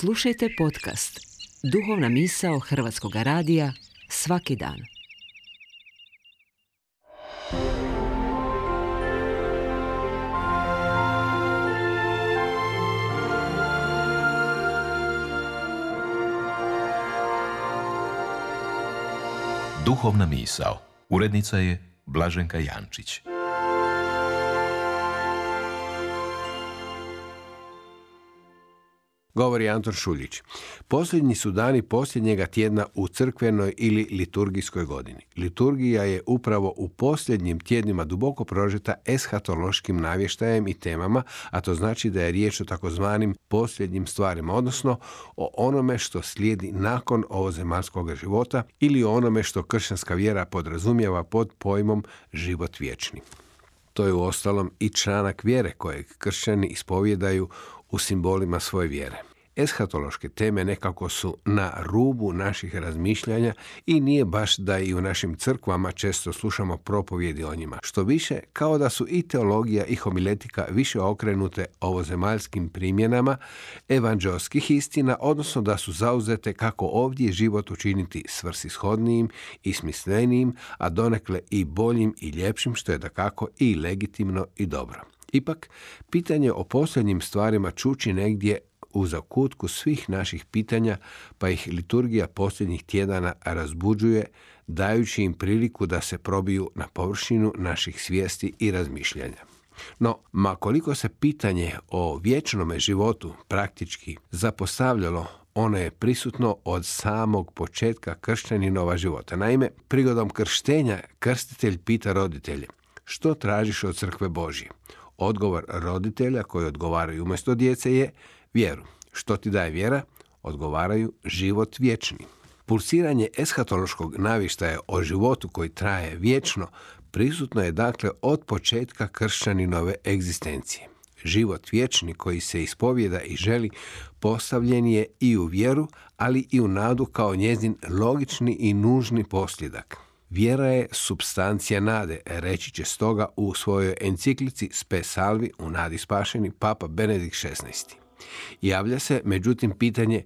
Slušajte podcast Duhovna misao Hrvatskog radija svaki dan. Duhovna misao. Urednica je Blaženka Jančić. Govori Anton Šuljić. Posljednji su dani posljednjega tjedna u crkvenoj ili liturgijskoj godini. Liturgija je upravo u posljednjim tjednima duboko prožeta eshatološkim navještajem i temama, a to znači da je riječ o takozvanim posljednjim stvarima, odnosno o onome što slijedi nakon ovozemaljskog života ili o onome što kršćanska vjera podrazumijeva pod pojmom život vječni. To je uostalom i članak vjere kojeg kršćani ispovjedaju u simbolima svoje vjere. Eshatološke teme nekako su na rubu naših razmišljanja i nije baš da i u našim crkvama često slušamo propovjedi o njima. Što više, kao da su i teologija i homiletika više okrenute ovozemaljskim primjenama evanđelskih istina, odnosno da su zauzete kako ovdje život učiniti svrsishodnijim i smislenijim, a donekle i boljim i ljepšim, što je dakako i legitimno i dobro. Ipak, pitanje o posljednjim stvarima čuči negdje u zakutku svih naših pitanja, pa ih liturgija posljednjih tjedana razbuđuje, dajući im priliku da se probiju na površinu naših svijesti i razmišljanja. No, ma koliko se pitanje o vječnome životu praktički zapostavljalo, ono je prisutno od samog početka kršćaninova života. Naime, prigodom krštenja krstitelj pita roditelje: što tražiš od crkve Božje? Odgovor roditelja koji odgovaraju umjesto djece je vjeru. Što ti daje vjera? Odgovaraju život vječni. Pulsiranje eshatološkog navještaja o životu koji traje vječno prisutno je dakle od početka kršćaninove egzistencije. Život vječni koji se ispovjeda i želi postavljen je i u vjeru, ali i u nadu kao njezin logični i nužni posljedak. Vjera je supstancija nade, reći će stoga u svojoj enciklici Spe Salvi u nadi spašeni Papa Benedikt XVI. Javlja se, međutim, pitanje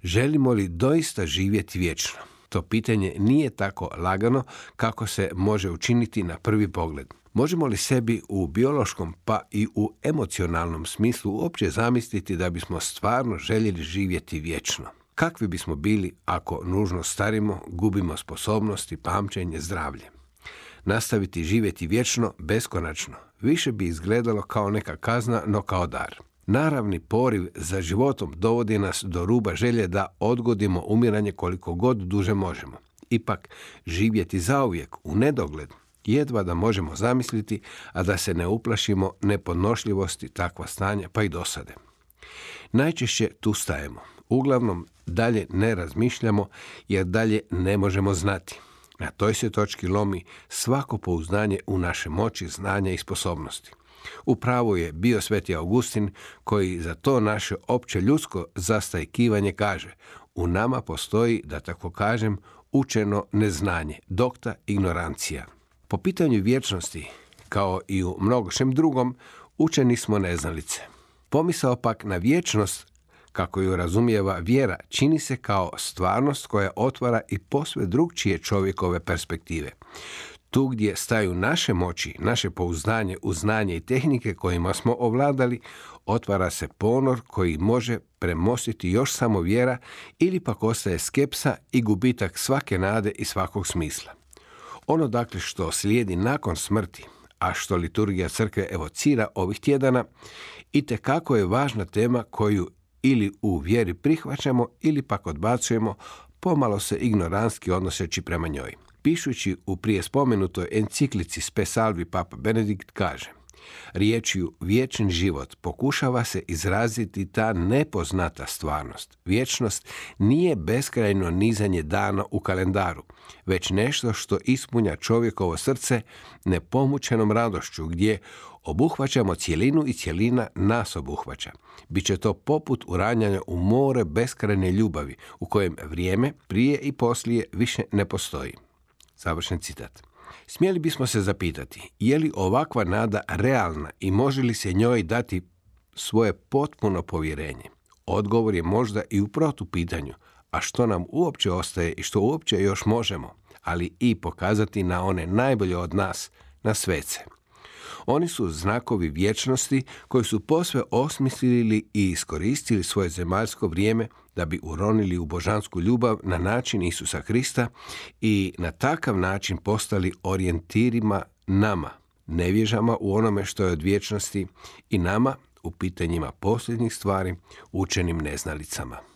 želimo li doista živjeti vječno? To pitanje nije tako lagano kako se može učiniti na prvi pogled. Možemo li sebi u biološkom pa i u emocionalnom smislu uopće zamisliti da bismo stvarno željeli živjeti vječno? Kakvi bismo bili ako nužno starimo, gubimo sposobnosti, pamćenje, zdravlje? Nastaviti živjeti vječno, beskonačno, više bi izgledalo kao neka kazna, no kao dar. Naravni poriv za životom dovodi nas do ruba želje da odgodimo umiranje koliko god duže možemo. Ipak, živjeti zauvijek u nedogled jedva da možemo zamisliti, a da se ne uplašimo nepodnošljivosti takva stanja pa i dosade. Najčešće tu stajemo. Uglavnom, dalje ne razmišljamo jer dalje ne možemo znati. Na toj se točki lomi svako pouzdanje u naše moći, znanja i sposobnosti. Upravo je bio sveti Augustin koji za to naše opće ljudsko zastajkivanje kaže: u nama postoji, da tako kažem, učeno neznanje, docta ignorantia. Po pitanju vječnosti, kao i u mnogošem drugom, učeni smo neznalice. Pomisao pak na vječnost, kako ju razumijeva vjera, čini se kao stvarnost koja otvara i posve drugčije čovjekove perspektive. Tu gdje staju naše moći, naše pouzdanje u znanje i tehnike kojima smo ovladali, otvara se ponor koji može premostiti još samo vjera ili pak ostaje skepsa i gubitak svake nade i svakog smisla. Ono dakle što slijedi nakon smrti, a što liturgija crkve evocira ovih tjedana, itekako je važna tema koju ili u vjeri prihvaćamo ili pak odbacujemo, pomalo se ignorantski odnoseći prema njoj. Pišući u prije spomenutoj enciklici Spe Salvi Papa Benedikt kaže: riječju vječni život pokušava se izraziti ta nepoznata stvarnost. Vječnost nije beskrajno nizanje dana u kalendaru, već nešto što ispunja čovjekovo srce nepomućenom radošću, gdje obuhvaćamo cjelinu i cjelina nas obuhvaća. Biće to poput uranjanja u more beskrajne ljubavi, u kojem vrijeme, prije i poslije, više ne postoji. Završen citat. Smjeli bismo se zapitati, je li ovakva nada realna i može li se njoj dati svoje potpuno povjerenje? Odgovor je možda i u protupitanju, a što nam uopće ostaje i što uopće još možemo, ali i pokazati na one najbolje od nas, na svece. Oni su znakovi vječnosti koji su posve osmislili i iskoristili svoje zemaljsko vrijeme da bi uronili u božansku ljubav na način Isusa Krista i na takav način postali orijentirima nama, nevježama u onome što je od vječnosti i nama u pitanjima posljednjih stvari, učenim neznalicama.